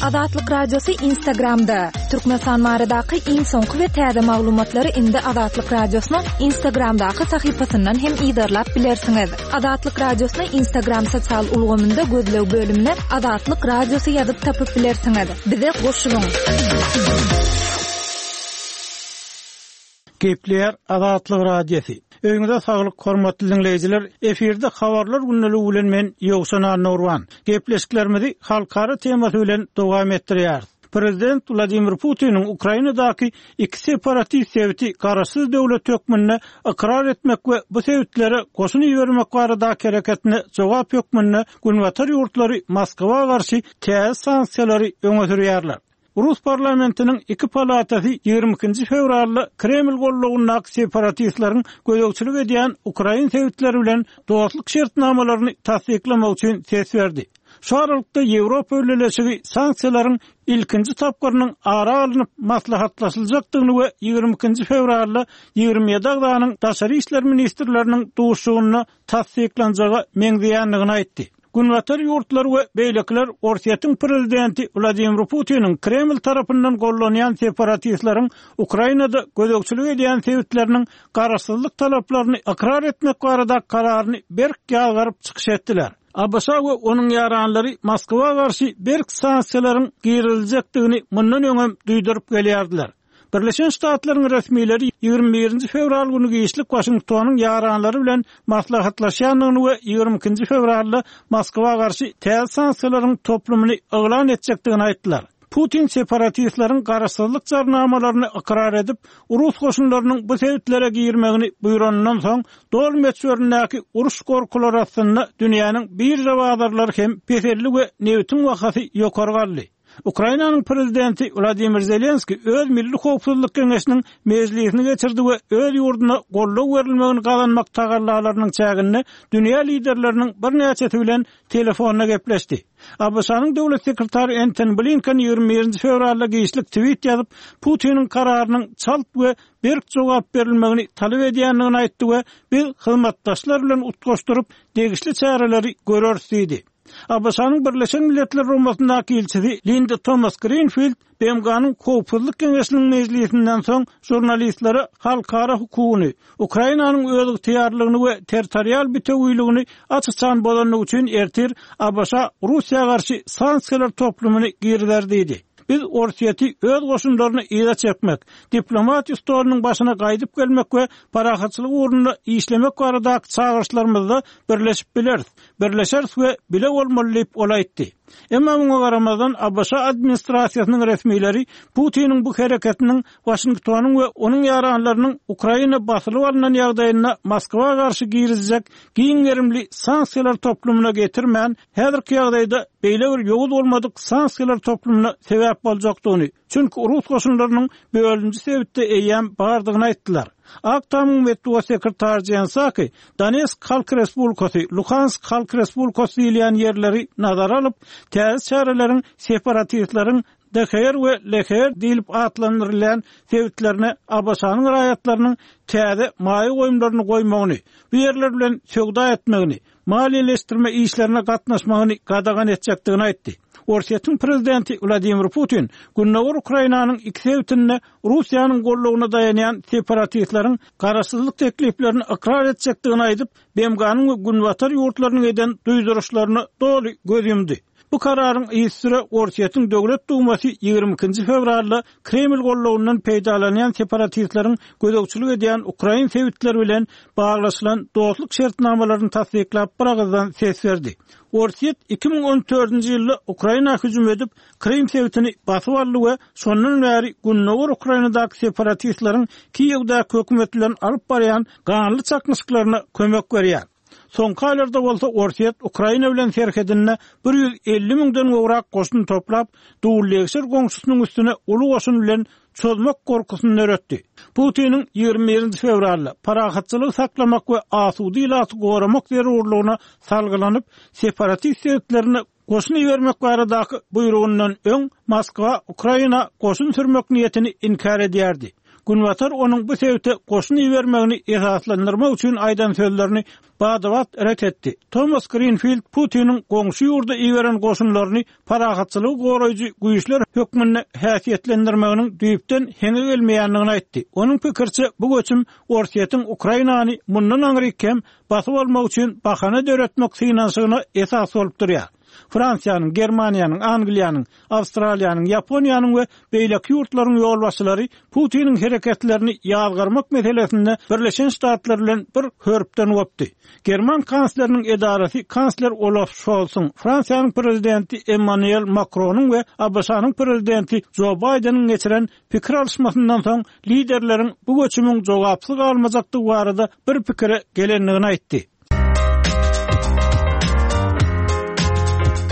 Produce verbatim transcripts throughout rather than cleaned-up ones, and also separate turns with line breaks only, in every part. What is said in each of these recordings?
Azatlyk Radiosy Instagramda. Türkmenistan baradaky iň soňky we täze maglumatlary indi Azatlyk Radiosynyň Instagramdaky sahypasyndan hem yzarlap bilersiňiz. Azatlyk Radiosyny Instagram sosial ulgamynda gözleg bölümine Azatlyk Radiosy ýazyp tapyp bilersiňiz. Bize goşulyň.
Gepleýär Azatlyk Radiosy. Öýüňize saglyk, hormatly diňleýjiler. Efirde habarlar gündeligi bilen men Ýowşan Annagurban. Gepleşiklerimizi halkara temasy bilen dowam etdirýäris. Prezident Wladimir Putiniň Ukrainadaky iki separatist sebiti garaşsyz döwlet hökmünde ykrar etmek we bu sebitlere goşun ibermek baradaky hereketine jogap hökmünde Günbatar ýurtlary Moskwa garşy täze sanksiýalary öňe sürýärler. Rus parlamentiniň iki palatasy ýigrimi ikinji fewralda Kreml gollagyndaky separatistleriň gözegçilik edýän ukrain sebitleri bilen dostluk şertnamalaryny tassyklamak üçin ses berdi. Şu aralykda Ýewropa Bileleşigi sanksiýalaryň ilkinji tapgyrynyň ara alnyp maslahatlaşyljakdygyny we ýigrimi ikinji fewralda ýigrimi ýedi agzanyň daşary işler ministrleriniň duşuşygynda tassyklanjaga meňzeýändigini aýtdy. Günbatar ýurtlary we beýlekiler Orsýetiň prezidenti Wladimir Putiniň Kreml tarapyndan gollanýan separatistleriň Ukrainada gözegçilik edýän sebitleriniň garaşsyzlyk talaplaryny ykrar etmek barada kararyny berk ýazgaryp çykyş etdiler. A B Ş we onuň ýaranlary Moskwa garşy berk sanksiýalaryň giriziljekdigini mundan öňem duýduryp gelýärdiler. Birleşen Ştatlaryň resmileri ýigrimi birinji fewral güni giçlik Waşingtonyň ýaranlary bilen maslahatlaşýandygyny we ýigrimi ikinji fewralda Moskwa garşy täze sanksiýalaryň toplumyny yglan etjekdigini aýtdylar. Putin separatistleriň garaşsyzlyk jarnamalaryny ykrar edip, rus goşunlarynyň bu sebitlere girmegini buýranyndan soň, doly möçberindäki uruş gorkulary astynda dünýäniň birža bazarlary hem peseldi we nebitiň bahasy ýokary galdy. Ukrainanyň prezidenti Wladimir Zelenski öz Milli howpsuzlyk geňeşiniň mejlisini geçirdi we öz ýurduna goldaw berilmegini gazanmak tagallalarynyň çäginde dünýä liderleriniň birnäçesi bilen telefonda gepleşdi. A B Ş-nyň döwlet sekretary Entoni Blinken ýigrimi birinji fewralda giçlik tweet ýazyp, Putiniň kararynyň çalt we berk jogap berilmegini talap edýändigini aýtdy we biz hyzmatdaşlar bilen utgaşdyryp degişli çäreleri göreris diýdi. A B Ş-nyň Birleşen Milletler Guramasyndaky ilçisi Linda Thomas Greenfield B M G-nyň Howpsuzlyk Geňeşiniň mejlisinden soň žurnalistlere halkara hukugyny, Ukrainanyň özygtyýarlygyny we territorial bitewiligini aç-açan bozandygy üçin ertir A B Ş Russiýa garşy sanksiýalar toplumyny girizer diýdi. Biz Orsýeti öz goşunlaryny yza çekmek, diplomatiýa stolunyň başyna gaýdyp gelmek we parahatçylyk ugrunda işlemek baradaky çagyryşlarymyzda birleşip bileris, birleşeris we bile bolmaly diýip ol aýtdy. Emma muňa garamazdan A B Ş administrasiýasynyň resmileri Putiniň bu hereketiniň Waşingtonyň we onuň ýaranlarynyň Ukraina basylyp alynan ýagdaýynda Moskwa garşy girizjek giň gerimli sanksiýalar toplumyna getirmän, häzirki ýagdaýda beýle bir ýowuz bolmadyk sanksiýalar toplumyna sebäp boljakdygyny, çünki rus goşunlarynyň bölünji sebitde eýýäm bardygyny aýtdylar. Ak Tamyň metbugat sekretary Jen Psaki, Donetsk Halk Respublikasy, Luhansk Halk Respublikasy diýilýän ýerleri nazara alyp, täze çäreleriň separatistleriň D H R we L H R diýlip atlandyrylýan sebitlerine A B Ş-nyň raýatlarynyň täze maýa goýumlaryny goýmagyny, bu ýerler bilen söwda etmegini, maliýeleşdirme işlerine gatnaşmagyny gadagan etjekdigini aýtdy. Orsýetiň prezidenti Wladimir Putin Gündogar Ukrainanyň iki sebitinde Russiýanyň gollugyna daýanýan separatistleriň garaşsyzlyk tekliplerini ykrar etjekdigini aýdyp, B M G-nyň we Günbatar ýurtlarynyň eden duýduryşlaryna doly göz ýumdy. Bu kararyň yzysüre Orsýetiň Döwlet Dumasy ýigrimi ikinji fewralda Kreml gollugyndan peýdalanýan separatistleriň gözegçilik edýän ukrain sebitleri bilen baglaşylan dostluk şertnamalaryny tassyklap bir agyzdan ses berdi. Orsýet iki müň on dördünji ýylda Ukraina hüjüm edip, Krym sebitini basyp aldy we şondan bäri Gündogar Ukrainadaky separatistleriň Kiýewdäki hökümet bilen alyp barýan ganly çaknyşyklaryna kömek berýär. Soňky aýlarda bolsa Orsýet Ukraina bilen serhedinde bir ýüz elli müňden gowrak goşun toplap, dullegşir goňşusynyň üstüne uly goşun bilen çozmak gorkusyny döretdi. Putiniň ýigrimi birinji fewralda parahatçylygy saklamak we asuda ilaty goramak zerurlygyna salgylanyp, separatist sebitlerine goşun ibermek baradaky buýrugyndan öň Moskwa Ukraina goşun sürmek niýetini inkär edýärdi. Günbatar onuň bu sebite goşun ibermegini esaslandyrmak üçin aýdan sözlerini bada-bat ret etdi. Tomas Grinfild Putiniň goňşy ýurda iberen goşunlaryny parahatçylygy goraýjy güýçler hökmünde häsiýetlendirmeginiň düýpden heňe gelmeýändigini aýtdy. Onuň pikiriçe, bu göçüm Orsýetiň Ukrainany mundan aňryk hem basyp almak üçin bahana döretmek synanyşygyna esas bolup durýar. Fransiýanyň, Germaniýanyň, Angliýanyň, Awstraliýanyň, Ýaponiýanyň we beýleki ýurtlaryň ýolbaşçylary Putiniň hereketlerini ýazgarmak meselesinde Birleşen Ştatlar bilen bir hörpden gopdy. German kansleriniň edarasy kansler Olaf Şolsuň, Fransiýanyň prezidenti Emmanuel Makronyň we ABŞ-nyň prezidenti Jo Baýdeniň geçiren pikir alyşmasyndan soň liderleriň bu göçümiň jogapsyz galmajakdygy barada bir pikire gelendigini aýtdy.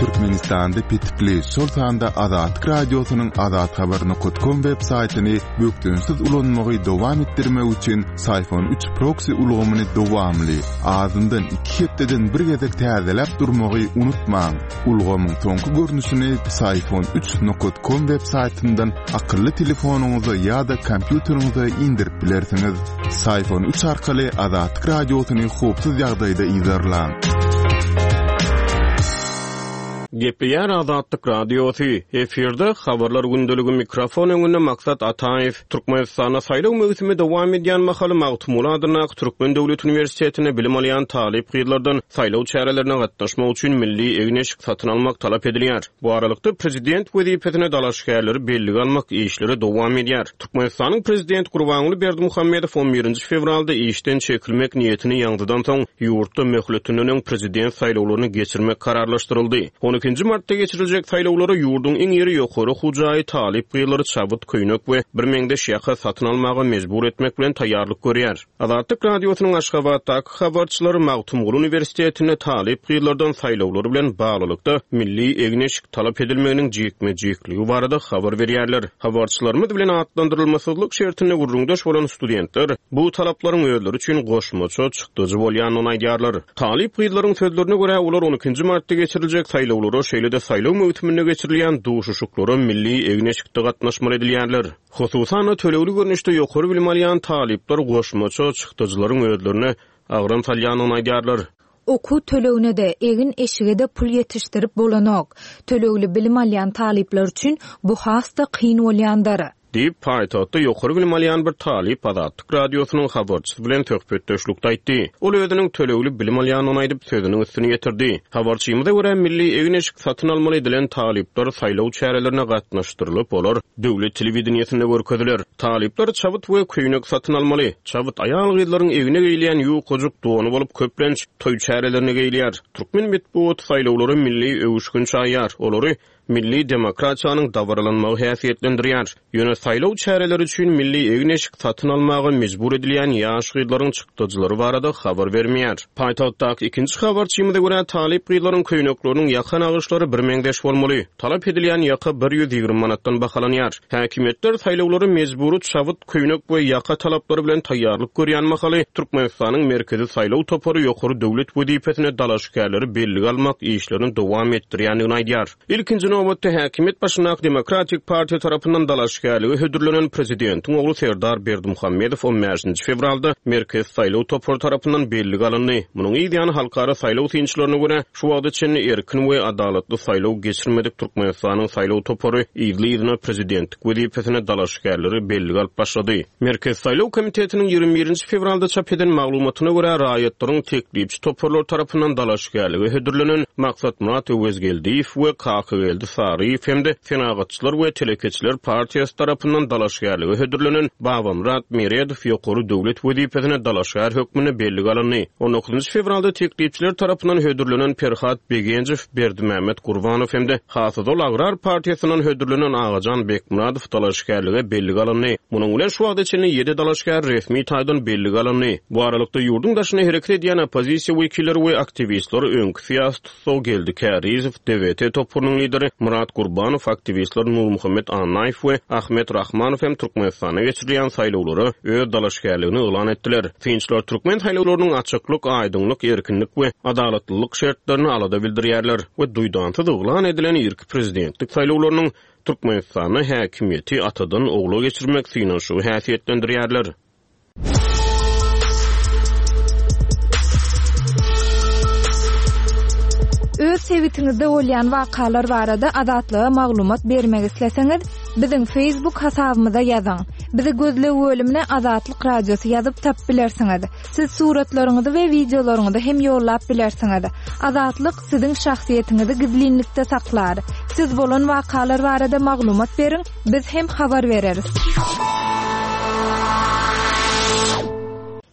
Türkmenistanda petikli, şol sanda Azatlyk Radiosynyň azathabar nokat kom web saýtyny bökdençsiz ulanmagy dowam etdirmek üçin Syfon üç proksi ulgamyny dowamly, azyndan iki hepdeden bir gezek täzeläp durmagy unutmaň. Ulgamyň soňky görnüşini Syfon üç nokat kom web saýtyndan akylly telefonyňyza ýa-da kompýuteriňize indirip bilersiňiz. Syfon üç arkaly Azatlyk Radiosyny howpsuz ýagdaýda yzarlaň.
Gepleýär Azatlyk Radiosy. Efirde habarlar gündeligi mikrofon öňünde Maksat Ataýew. Türkmenistanda saýlaw möwsümi dowam edýän mahaly Magtymguly adyndaky Türkmen döwlet uniwersitetinde bilim alýan talyp gyzlardan saýlaw çärelerine gatnaşmak üçin milli egin-eşik satyn almak talap edilýär. Bu aralykda prezident wezipesine dalaşgärleri bellige almak işleri dowam edýär. Türkmenistanyň prezident Gurbanguly Berdimuhamedow on birinji fewralda işden çekilmek niýetini ýaňzydan soň ýurtda möhletinden öň prezident saýlawlaryny geçirmek kararlaşdyryldy. On ikinji martda geçiriljek saýlawlara ýurduň iň iri ýokary okuw jaýy talyp gyzlary çabyt, köýnek we bir meňzeş ýaka satyn almaga mejbur etmek bilen taýýarlyk görýär. Azatlyk Radiosynyň Aşgabatdaky habarçylary Magtymguly uniwersitetinde talyp gyzlardan saýlawlar bilen baglylykda milli egin-eşik talap edilmeginiň jikme-jikligi barada habar berýärler. Habarçylarymyz bilen atlandyrylmasyzlyk şertinde gürrüňdeş bolan studentler bu talaplaryň özleri üçin goşmaça çykdajy bolýandygyny aýdýarlar. Talyp gyzlaryň sözlerine görä olar on ikinji martda geçiriljek saýlawlara, şeýle-de saýlaw möwsüminde geçirilýän duşuşyklara milli egin-eşikde gatnaşmaly edilýärler. Hususan-da tölegli görnüşde ýokary bilim alýan talyplar goşmaça çykdajylaryň özlerine agram salýandygyny aýdýarlar.
Okuw tölegine-de, egin-eşige-de pul ýetişdirip bolanok. Tölegli bilim alýan talyplar üçin bu has-da kyn bolýandyr.
Diýip, paýtagtda ýokary bilim alýan bir talyp Azatlyk Radiosynyň habarçysy bilen söhbetdeşlikde aýtdy. Ol özüniň tölegli bilim alýandygyny aýdyp, sözüniň üstüni ýetirdi. Habarçymyza görä milli egin-eşik satyn almaly edilen talyplar saýlaw çärelerine gatnaşdyrylyp, olar döwlet telewideniýesinde görkeziler. Talyplar çabyt we köýnek satyn almaly. Çabyt aýal gyzlaryň egne geýilýän ýukajyk dony bolup köplenç toý çärelerine geýilýär. Türkmen metbugaty saýlawlara milli öwüşgin çaýar. Olary milli demokratiýanyň dabaralanmagy häsiýetlendirýär. Ýöne saýlaw çäreleri üçin milli egin-eşik satyn almaga mejbur edilýän ýaş gyzlaryň çykdajylary barada habar bermeýär. Paýtagtdaky ikinji habarçymyza görä talyp gyzlaryň köýnekleriniň ýaka nagyşlary bir meňzeş bolmaly. Talap edilýän ýaka bir ýüz ýigrimi manatdan bahalanýar. Häkimiýetler saýlawlary mejbury çabyt, köýnek we ýaka talaplary bilen taýýarlyk görýän mahaly Türkmenistanyň Merkezi saýlaw topary ýokary döwlet wezipesine dalaşgärleri bellige almak işlerini dowam etdirýändigini aýdýar. Ilkinji nobatda häkimiýet başyndaky Demokratik partiýa tarapyndan dalaşgärlige hödürlenen prezidentiň ogly Serdar Berdimuhamedow on bäşinji fewralda Merkezi saýlaw topary tarapyndan bellige alyndy. Munuň ýany halkara saýlaw synçylaryna görä şu wagta çenli erkin we adalatly saýlaw geçirmedik Türkmenistanyň saýlaw topary yzly-yzyna prezidentlik wezipesine dalaşgärleri bellige alyp başlady. Merkezi saýlaw komitetiniň ýigrimi birinji fewralda çap eden maglumatyna görä raýatlaryň teklipçi toparlar tarapyndan dalaşgärlige hödürlenen Maksat Murat Öwezgeldiýew we Kakageldi Saryýew hem-de Senagatçylar we Telekeçiler partiýasy tarapyndan dalaşgärlige hödürlenen Babamyrat Meredow ýokary döwlet wezipesine dalaşgär hökmünde bellige alyndy. on dokuzynjy fewralda teklipçiler tarapyndan hödürlenen Perhat Begenjew, Berdimämmet Gurbanow hem-de Hasydol Agrar partiýasyndan hödürlenen Agajan Bekmyradow dalaşgärlige bellige alyndy. Munuň bilen şu wagta çenli ýedi dalaşgär resmi taýdan bellige alyndy. Bu aralykda ýurduň daşyna hereket edýän oppozisiýa wekilleri we aktiwistler öňki syýasy tussag Geldi Kärizow, D V T toparynyň lideri Murat Gurbanow, aktiwistler Nurmuhammet Annaýew we Ahmet Şawkat Rahmanow hem Türkmenistanda geçirilýän saýlawlara öz dalaşgärligini yglan etdiler. Synçylar türkmen saýlawlarynyň açyklyk, aýdyňlyk, erkinlik we adalatlylyk şertlerini alada bildirýärler we duýdansyz yglan edilen irki prezidentlik saýlawlarynyň Türkmenistanda häkimiýeti atadan ogla geçirmek synanyşygy häsiýetlendirýärler.
Öz sebitiňizde bolýan wakalar barada Azatlyga maglumat bermek isleseňiz, biziň Facebook hasabymyza ýazyň. Bizi gözleg bölümine Azatlyk Radiosy ýazyp tapyp bilersiňiz. Siz suratlaryňyzy we wideolaryňyzy hem ýollap bilersiňiz. Azatlyk siziň şahsyýetiňizi gizlinlikde saklar. Siz bolan wakalar barada maglumat beriň, biz hem habar bereris.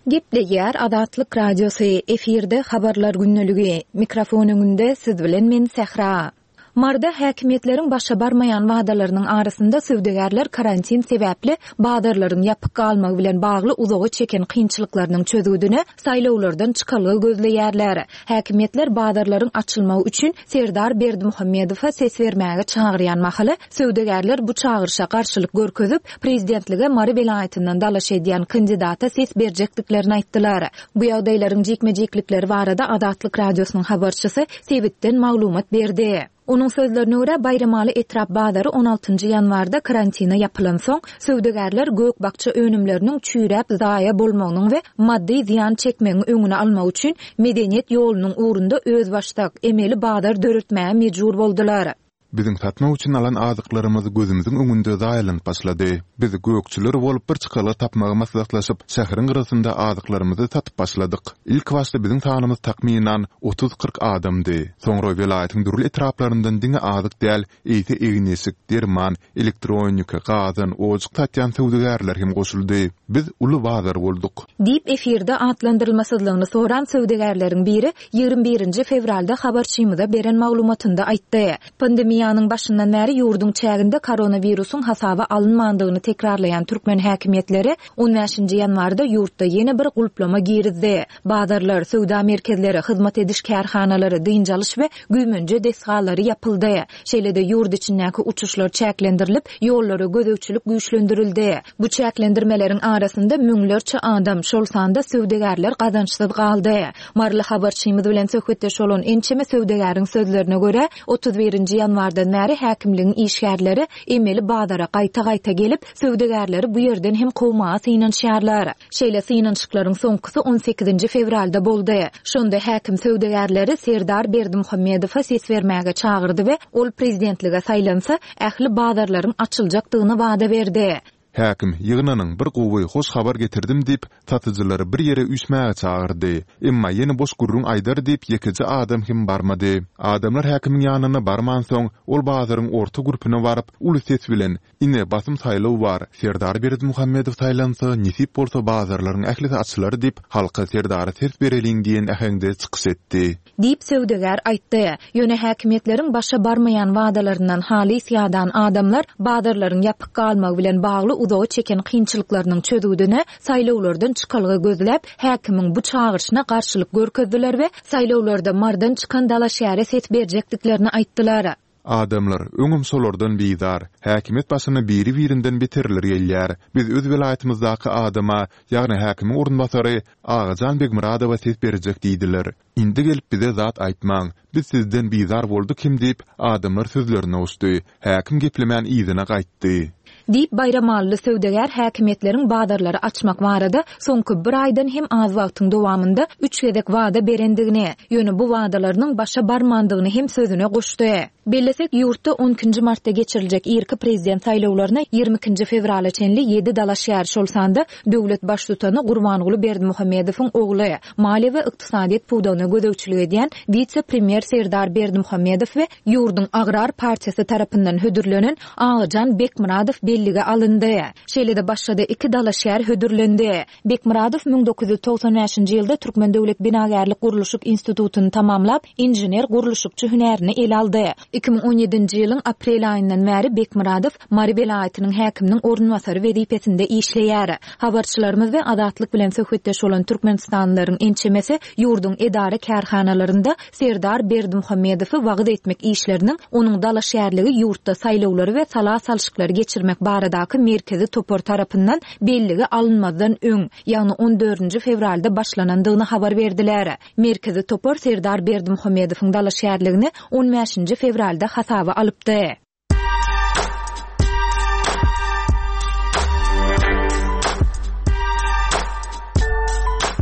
Gepleýär Azatlyk Radiosy, efirde habarlar gündeligi. Mikrofon öňünde siz bilen men Sähra. Marda häkimiýetleriň başa barmaýan wadalarynyň arasynda söwdagärler karantin sebäpli bazarlaryň ýapyk galmagy bilen bagly uzaga çeken kynçylyklarynyň çözgüdine saýlawlardan çykalga gözleýärler. Häkimiýetler bazarlaryň açylmagy üçin Serdar Berdimuhamedowa ses bermäge çagyrýan mahaly söwdagärler bu çagyryşa garşylyk görkezip, prezidentlige Mary welaýatyndan dalaş edýän kandidata ses berjekdiklerini aýtdylar. Bu ýagdaýlaryň jikme-jiklikleri barada Azatlyk Radiosynyň habarçysy sebitden maglumat berdi. Onuň sözlerine görä Baýramaly etrap bazary on altynjy ýanwarda karantina ýapylan soň, söwdagärler gök-bakja önümleriniň çüýräp zaýa bolmagynyň we maddy zyýan çekmegiň öňüni almak üçin medeniýet ýolunyň ugrunda özbaşdak emeli bazar döretmäge mejbur boldular.
Biziň satmak üçin alan azyklarymyz gözümiziň öňünde zaýalanyp başlady. Biz gökçüler bolup bir çykalga tapmagy maslahatlaşyp, şäheriň gyrasynda azyklarymyzy satyp başladyk. Ilk başda biziň sanymyz takmynan otuz-kyrk adamdy. Soňra welaýatyň dürli etraplaryndan diňe azyk däl, eýse egin-eşik, derman, elektronika, gazan, ojak satýan söwdagärler hem goşuldy. Biz uly bazar bolduk.
Diýip efirde atlandyrylmasyzlygyny soran söwdagärleriň biri ýigrimi birinji fewralda habarçymyza beren maglumatynda aýtdy. Pandemiýanyň başyndan bäri ýurduň çäginde koronawirusyň hasaba alynmandygyny tekrarlaýan türkmen häkimiýetleri on bäşinji ýanwarda ýurtda ýene bir gulplama girizdi. Bazarlar, söwda merkezleri, hyzmat ediş kärhanalary, dynç alyş we güýmenje desgalary ýapyldy. Şeýle-de ýurt içindäki uçuşlar çäklendirilip, ýollara gözegçilik güýçlendirildi. Bu çäklendirmeleriň arasynda müňlerçe adam, şol sanda söwdagärler gazançsyz galdy. Maryly habarçymyz bilen söhbetdeş bolan ençeme söwdagäriň sözlerine görä, otuz birinji ýanwardan bäri häkimligiň işgärleri emeli bazara gaýta-gaýta gelip, söwdagärleri bu ýerden hem kowmaga synanyşýarlar. Şeýle synanyşyklaryň soňkusy on sekizinji fewralda boldy. Şonda häkim söwdagärleri Serdar Berdimuhamedowa ses bermäge çagyrdy we ol prezidentlige saýlansa, ähli bazarlaryň açyljakdygyny wada berdi.
Häkim ýygnanyň bir gowy hoş habar getirdim diýip, satyjylary bir ýere üýşmäge çagyrdy. Emma ýene boş gürrüň aýdar diýip ýekeje adam hem barmady. Adamlar häkimiň ýanyna barmansoň, ol bazaryň orta gürpüne baryp, uly ses bilen, Ine basym saýlaw bar, Serdar Berdimuhamedow saýlansa, nesip bolsa bazarlaryň ählisi açylar diýip, halka Serdara ses bereliň diýen äheňde çykyş etdi.
Diýip söwdagär aýtdy. Ýöne häkimiýetleriň başa barmaýan wadalaryndan halys ýadan adamlar bazarlaryň ýapyk galmagy bilen bagly uzaga çeken kynçylyklarynyň çözgüdine saýlawlardan çykalga gözläp, häkimiň bu çagyryşyna garşylyk görkezdiler we saýlawlarda Mardan çykan dalaşgäre ses berjekdiklerini aýtdylar.
Adamlar öňem şolardan bizar. Häkimiýet başyna biri-birinden beterler gelýär. Biz öz welaýatymyzdaky adama, ýagny häkimiň orunbasary Agajan Begmyradowa ses berjek diýdiler. Indi gelip bize zat aýtmaň. Biz sizden bizar bolduk hem diýip, adamlar sözlerine goşdy. Häkim geplemän yzyna gaýtdy.
Diýip Baýramalyly söwdagär häkimiýetleriň bazarlary açmak barada soňky bir aýdan hem az wagtyň dowamynda üç gezek wada berendigini, ýöne bu wadalarynyň başa barmandygyny hem sözüne goşdy. Bellesek, ýurtda on ikinji martda geçiriljek irki prezident saýlawlaryna ýigrimi ikinji fewrala çenli ýedi dalaşgär, şol sanda döwlet baştutany Gurbanguly Berdimuhamedowyň ogly, maliýe we ykdysadyýet pudagyna gözegçilik edýän wise-premýer Serdar Berdimuhamedow we ýurduň Agrar partiýasy tarapyndan hödürlenen Agajan Bekmyradow bellige alyndy. Şeýle-de başga-da iki dalaşgär hödürlendi. Bekmyradow müň dokuz ýüz togsan bäşinji ýylda Türkmen döwlet binagärlik gurluşyk institutyny tamamlap, inžener gurluşykçy hünärini ele aldy. Iki müň on ýedinji ýylyň aprel aýyndan bäri Bekmyradow Mary welaýatynyň häkiminiň orunbasary wezipesinde işleýär. Habarçylarymyz we Azatlyk bilen söhbetdeş bolan türkmenistanlylaryň ençemesi ýurduň edara kärhanalarynda Serdar Berdimuhamedowy wagyz etmek işleriniň onuň dalaşgärligi ýurtda saýlawlary we sala salşyklary geçirmek geçirmek baradaky merkezi topar tarapyndan bellige alynmazdan öň, ýagny on dördünji fewralda başlanandygyny habar berdiler. Merkezi topar Serdar Berdimuhamedowyň dalaşgärligini on bäşinji fewralda hasaba alypdy.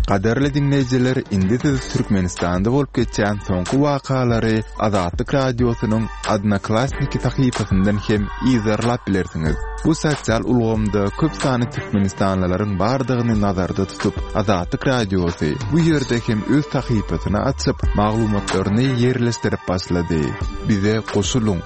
Gadyrly diňleýjiler, indi siz Türkmenistanda bolup geçýän soňky wakalary Azatlyk Radiosynyň Odnoklassniki sahypasyndan hem yzarlap bilersiňiz. Bu sosial ulgamda köp sanly türkmenistanlylaryň bardygyny nazarda tutup, Azatlyk Radiosy bu ýerde hem öz sahypasyny açyp, maglumatlaryny ýerleşdirip başlady. Bize goşulyň.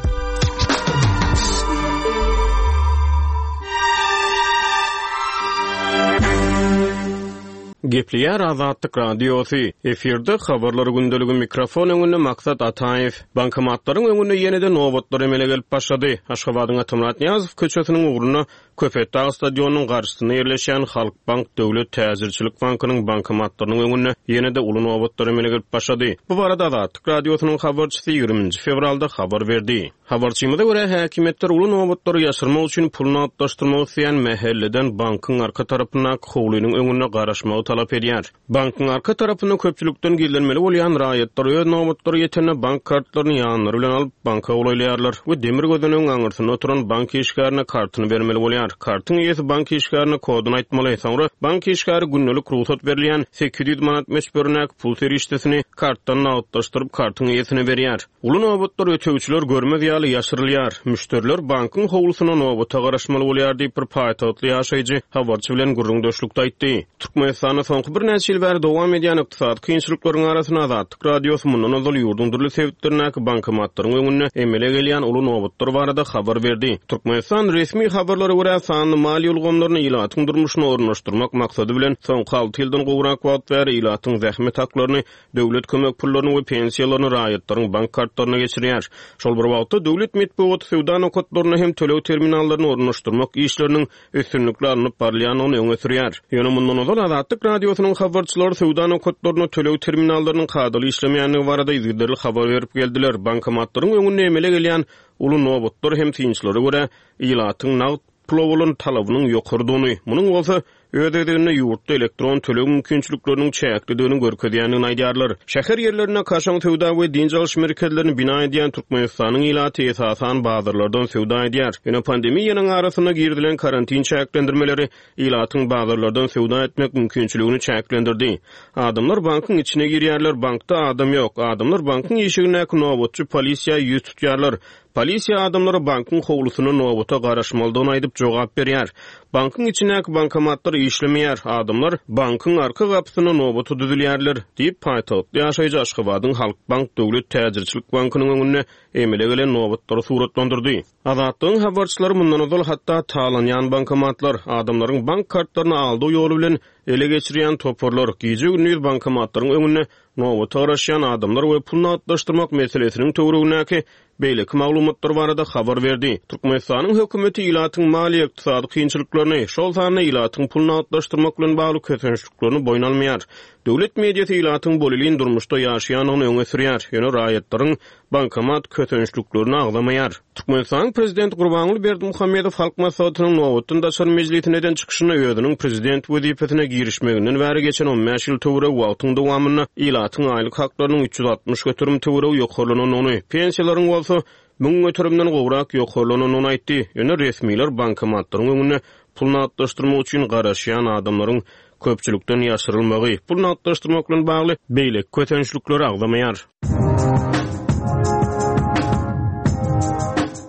Gepleýär Azatlyk Radiosy. Efirde habarlar gündeligi mikrofon öňünde Maksat Ataýew. Bankomatlaryň öňünde ýene-de nobatlar emele gelip başlady. Aşgabadyň Atamyrat Nyýazow köçesiniň ugrunda Köpetdag stadionynyň garşysynda ýerleşýän Halkbank Döwlet Täjirçilik bankynyň bankomatlarynyň öňünde ýene-de uly nobatlar emele gelip başlady. Bu barada Azatlyk Radiosynyň habarçysy ýigriminji fewralda habar berdi. Habarçymyza görä häkimiýetler uly nobatlary ýaşyrmak üçin pul nagtlaşdyrmak isleýän mähelleden bankyň arka tarapyndaky howlynyň öňünde garaşmagy talap edýär. Bankyň arka tarapynda köpçülikden gizlenmeli bolýan raýatlar öz nobatlary ýetende bank kartlaryny ýanlary bilen alyp banka golaýlaýarlar we demir gözüniň aňyrsynda oturan bank işgärine kartyny bermeli bolýar. Kartyň eýesi bank işgärine koduny aýtmaly. Soňra bank işgäri gündelik rugsat berilýän sekiz ýüz manat möçberindäki pul serişdesini kartdan nagtlaşdyryp kartyň eýesine berýär. Uly nobatlar ötegçiler görmez ýaly ýaşyrylýar. Müşderiler bankyň howlusyna nobata garaşmaly bolýar diýip bir paýtagtly ýaşaýjy habarçy bilen gürrüňdeşlikde aýtdy. Türkmenistanda soňky birnäçe ýyl bäri dowam edýän ykdysady kynçylyklaryň arasynda Azatlyk Radiosy mundan ozal ýurduň dürli sebitlerindäki bankomatlaryň öňünde emele gelýän uly nobatlar barada habar berdi. Türkmenistan resmi habarlara görä sanly maliýe ulgamlaryny ilatyň durmuşyna ornaşdyrmak maksady bilen soňky alty ýyldan gowrak wagt bäri ilatyň zähmet haklaryny, döwlet kömek pullaryny we pensiýalaryny raýatlaryň bank kartlaryna geçirýär. Şol bir wagtda döwlet metbugaty söwda nokatlaryna hem töleg terminallaryny ornaşdyrmak işleriniň üstünlikli alnyp barylýandygyny öňe sürýär. Ýöne mundan ozal Azatlyk Radiosynyň habarçylary söwda nokatlaryna töleg terminallarynyň kadaly işlemeýändigi barada yzygiderli habar berip geldiler. Bankomatlaryň öňünde emele gelýän uly nobatlar hem synçylara görä ilatyň nagt pula bolan talabynyň ýokardygyny, munuň bolsa öz özünde ýurtda elektron töleg mümkinçilikleriniň çäklidigini görkezýändigini aýdýarlar. Şäher ýerlerinde kaşaň söwda we dynç alyş merkezlerini bina edýän Türkmenistanyň ilaty esasan bazarlardan söwda edýär. Ýöne pandemiýanyň arasynda girizilen karantin çäklendirmeleri ilatyň bazarlardan söwda etmek mümkinçiligini çäklendirdi. Adamlar bankyň içine girýärler, bankda adam ýok. Adamlar bankyň işigindäki nobatçy polisiýa ýüz tutýarlar. Polisiýa adamlara bankyň howlusyna nobata garaşmalydygyny aýdyp jogap berýär. Bankyň içindäki bankomatlar işlemeýär. Adamlar bankyň arka gapysyna nobata düzülýärler diýip paýtagtly ýaşaýjy Aşgabadyň Halkbank Döwlet Täjirçilik bankynyň öňünde emele gelen nobatlary suratlandyrdy. Azatlygyň habarçylary mundan ozal hatda talanýan bankomatlar, adamlaryň bank kartlaryny aldygy ýoly bilen ele geçirýän toparlar, gije-gündiz bankomatlaryň öňünde nobata garaşýan adamlar we pul nagtlaşdyrmak meselesiniň töweregindäki beýleki maglumatlar barada habar berdi. Türkmenistanyň hökümeti ilatyň maliýe ykdysady kynçylyklaryny, şol sanda ilatyň pul nagtlaşdyrmak bilen bagly kösençliklerini boýun almaýar. Döwlet mediasy ilatyň bolelin durmuşda ýaşaýandygyny öňe sürýär. Ýöne raýatlaryň bankomat kösençliklerini agzamaýar. Türkmenistanyň prezidenti Gurbanguly Berdimuhamedow Halk Maslahatynyň nobatdan daşary mejlisine eden çykyşynda özüniň prezident wezipesine girişmeginden bäri geçen on bäş ýyl töweregi wagtyň dowamynda ilatyň aýlyk haklarynyň üç ýüz altmyş göterim töweregi ýokarlanandygyny, pensiýalaryň bolsa müň göterimden gowrak ýokarlanandygyny aýtdy. Ýöne resmiler bankomatlaryň öňünde pul nagtlaşdyrmak üçin garaşýan adamlaryň köpçülikden ýaşyrylmagy, pul nagtlaşdyrmak bilen bagly beýleki kösençlikleri agzamaýar.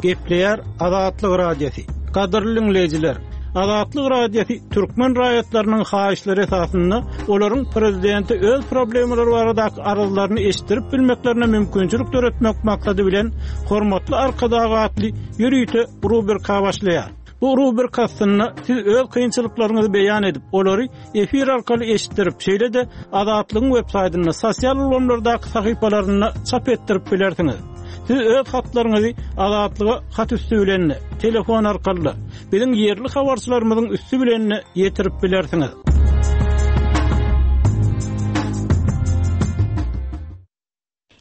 Gepleýär Azatlyk Radiosy. Gadyrly dinleýjiler, Azatlyk Radiosy türkmen raýatlarynyň haýyşlary esasynda olaryň prezidenti öz problemalary baradaky arzlaryny eşitdirip bilmeklerine mümkinçilik döretmek maksady bilen Hormatly Arkadag atly ýörite rubrika başlaýar. Bu rubrika aslynda siz öz kynçylyklaryňyzy beýan edip, olary efir arkaly eşitdirip, şeýle-de Azatlygyň web saýtynda, sosial ulgamlardaky sahypalarynda çap etdirip bilersiňiz. Siz öz hatlaryňyzy Azatlyga hat üstü bilen, telefon arkaly, biziň ýerli habarçylarymyzyň üstü bilen ýetirip bilersiňiz.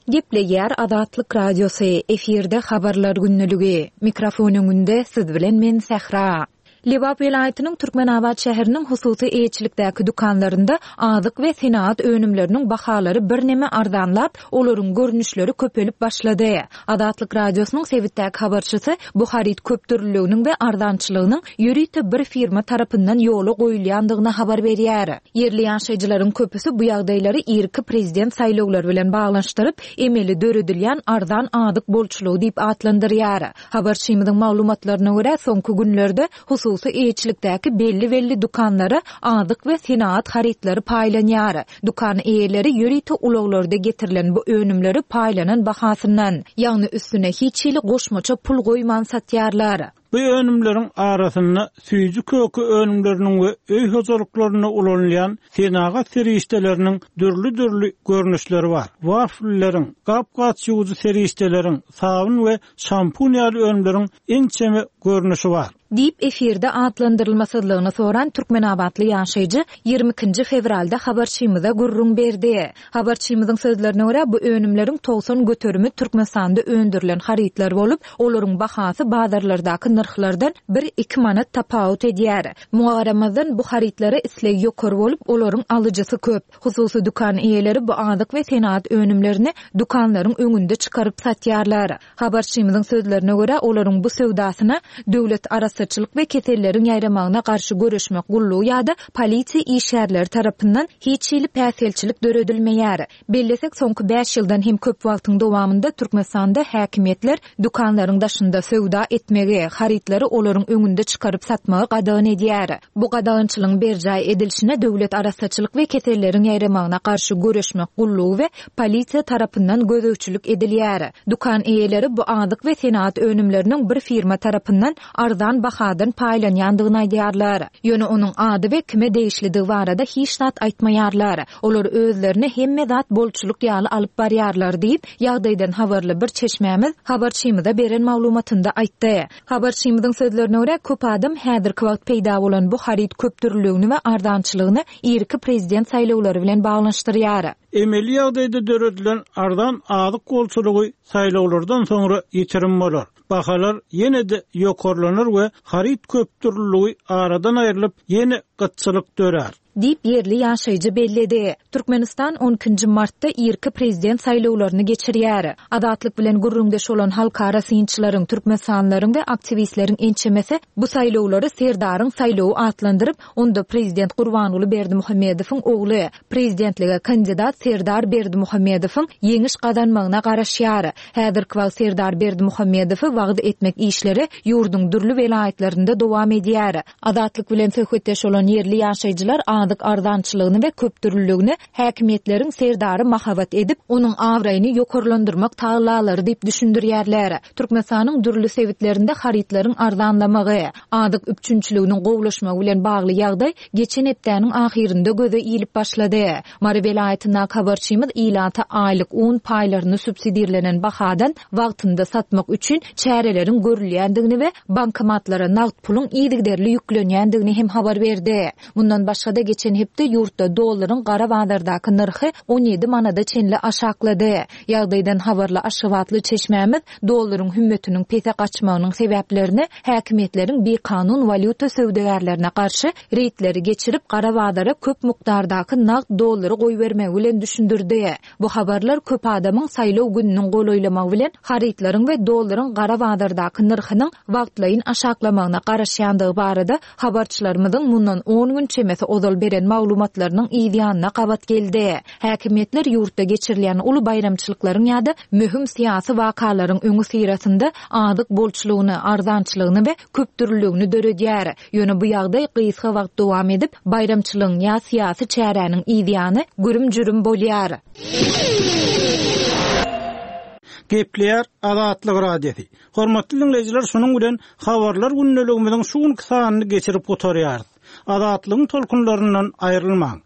Gepleýär Azatlyk Radiosy, efirde Habarlar gündeligi. Mikrofon öňünde siz bilen men Sähra. Lebap welaýatynyň Türkmenabat şäheriniň hususy eýeçilikdäki dükanlarynda azyk we senagat önümleriniň bahalary birneme arzanlap, olaryň görnüşleri köpelip başlady. Azatlyk Radiosynyň sebitdäki habarçysy bu haryt köpdürlüliginiň we arzançylygynyň ýörite bir firma tarapyndan ýola goýulýandygyny habar berýär. Ýerli ýaşaýjylaryň köpüsi bu ýagdaýlary irki prezident saýlawlary bilen baglanyşdyryp, emeli döredilýän arzan azyk bolçulygy diýip atlandyrýar. Habarçymyzyň maglumatlaryna görä, soňky günlerde hususy eýeçilikdäki belli-belli dükanlara azyk we senagat harytlary paýlanýar. Dükan eýeleri ýörite ulaglarda getirilen bu önümleri paýlanan bahasyndan, ýagny üstüne hiç hili goşmaça pul goýman satýarlar.
Bu önümleriň arasynda süýji köke önümleriniň we öý hojalyklarynda ulanylýan senagat serişdeleriniň dürli-dürli görnüşleri bar. Waflleriň, gap-gaç ýuwujy serişdeleriň, sabyn we şampun ýaly önümleriň ençeme görnüşi bar.
Diýip, efirde atlandyrylmasyzlygyny soran türkmenabatly ýaşaýjy ýigrimi ikinji fewralda habarçymyza gürrüň berdi. Habarçymyzyň sözlerine görä, bu önümleriň togsan göterimi Türkmenistanda öndürilen harytlar bolup, olaryň bahasy bazarlardaky nyrhlardan bir-iki manat tapawut edýär. Muňa garamazdan, bu harytlara isleg ýokary bolup, olaryň alyjysy köp. Hususy dükan eýeleri bu azyk we senagat önümlerini dükanlaryň öňünde çykaryp satýarlar. Habarçymyzyň sözlerine görä, olaryň bu söwdasyna Döwlet arassaçylyk we keselleriň ýaýramagyna garşy göreşmek gullugy ýa-da polisiýa işgärleri tarapyndan hiç hili päsgelçilik döredilmeýär. Bellesek, soňky bäş ýyldan hem köp wagtyň dowamynda Türkmenistanda häkimiýetler dükanlaryň daşynda söwda etmegi, harytlary olaryň öňünde çykaryp satmagy gadagan edýär. Bu gadagançylygyň berjaý edilişine Döwlet arassaçylyk we keselleriň ýaýramagyna garşy göreşmek gullugy we polisiýa tarapyndan gözegçilik edilýär. Dükan eýeleri bu azyk we senagat önümleriniň bir firma tarapyndan arzan bahadan paýlanýandygyny aýdýarlar. Ýöne onuň ady we kime degişlidigi barada hiç zat aýtmaýarlar. Olar özlerini hemme zat bolçulyk ýaly alyp barýarlar diýip, ýagdaýdan habarly bir çeşmämiz habarçymyza beren maglumatynda aýtdy. Habarçymyzyň sözlerine görä, köp adam häzirki wagt peýda bolan bu haryt köpdürlüligini we arzançylygyny irki prezident saýlawlary bilen baglanyşdyrýar.
Emeli ýagdaýda döredilen arzan azyk bolçulygy saýlawlardan soňra ýitirim bolar. Bahalar ýene-de ýokarlanar we haryt köpdürlüligi aradan aýrylyp, ýene gytçylyk dörär.
Diýip, ýerli ýaşaýjy belledi. Türkmenistan on ikinji martda irki prezident saýlawlaryny geçirýär. Azatlyk bilen gürrüňdeş bolan halkara synçylaryň, türkmenistanlylaryň we aktiwistleriň ençemesi bu saýlawlary Serdaryň saýlawy atlandyryp, onda prezident Gurbanguly Berdimuhamedowyň ogly, prezidentlige kandidat Serdar Berdimuhamedowyň ýeňiş gazanmagyna garaşýar. Häzirki wagt Serdar Berdimuhamedowy wagyz etmek işleri ýurduň dürli welaýatlarynda dowam edýär. Azatlyk bilen söhbetdeş bolan ýerli ýaşaýjylar azyk arzançylygyny we köpdürlüligini häkimiýetleriň Serdary mahabat edip, onuň abraýyny ýokarlandyrmak tagallalary diýip düşündirýärler. Türkmenistanyň dürli sebitlerinde harytlaryň arzanlamagy, azyk üpjünçiliginiň gowulaşmagy bilen bagly ýagdaý geçen hepdäniň ahyrynda göze ilip başlady. Mary welaýatyndaky habarçymyz ilata aýlyk un paýlaryny subsidirlenen bahadan wagtynda satmak üçin çäreleriň görülýändigini we bankomatlara nagt puluň yzygiderli ýüklenýändigini hem habar berdi. Mundan başga-da geçen hepde ýurtda dollaryň gara bazardaky nyrhy on ýedi manada çenli aşaklady. Ýagdaýdan habarly Aşgabatly çeşmämiz dollaryň hümmetiniň pese gaçmagynyň sebäplerini häkimiýetleriň bikanun walýuta söwdagärlerine garşy reýdleri geçirip gara bazara köp mukdardaky nagt dollary goýbermegi bilen düşündirdi. Bu habarlar köp adamyň saýlaw gününiň golaýlamagy bilen harytlaryň we dollaryň gara bazardaky nyrhynyň wagtlaýyn aşaklamagyna garaşýandygy barada habarçylarymyzyň mundan on gün çemesi ozal beren maglumatlarynyň yz ýanyna gabat geldi. Häkimiýetler ýurtda geçirilýän uly baýramçylyklaryň ýa-da möhüm syýasy wakalaryň öňi syrasynda azyk bolçulygyny, arzançylygyny we köpdürlüligini döredýär. Ýöne bu ýagdaý gysga wagt dowam edip, baýramçylygyň ýa syýasy çäräniň yz ýany gürüm-jürüm bolýar.
Gepleýär Azatlyk Radiosy. Hormatly dinleýjiler, şunuň bilen habarlar gündeligimiziň şu günki sanyny geçirip gutarýarys. Azatlygyň tolkunlaryndan aýrylmaň.